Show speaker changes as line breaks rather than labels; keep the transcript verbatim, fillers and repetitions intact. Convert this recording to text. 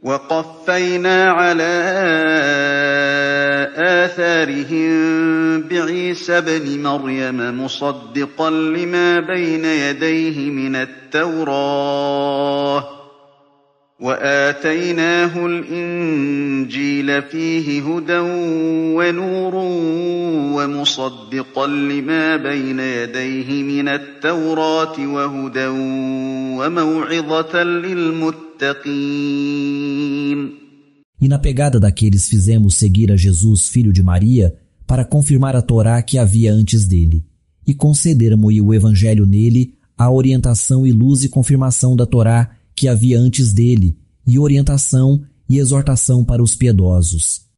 وَقَفَّيْنَا عَلَىٰ آثَارِهِم بِعِيسَى ابْنِ مَرْيَمَ مُصَدِّقًا لِّمَا بَيْنَ يَدَيْهِ مِنَ التَّوْرَاةِ وَآتَيْنَاهُ الْإِنجِيلَ فِيهِ هُدًى وَنُورٌ وَمُصَدِّقًا لِّمَا بَيْنَ يَدَيْهِ مِنَ التَّوْرَاةِ وَهُدًى وَمَوْعِظَةً لِّلْمُتَّقِينَ.
E na pegada daqueles fizemos seguir a Jesus, filho de Maria, para confirmar a Torá que havia antes dele, e concedermo-lhe o Evangelho nele, a orientação e luz e confirmação da Torá que havia antes dele, e orientação e exortação para os piedosos.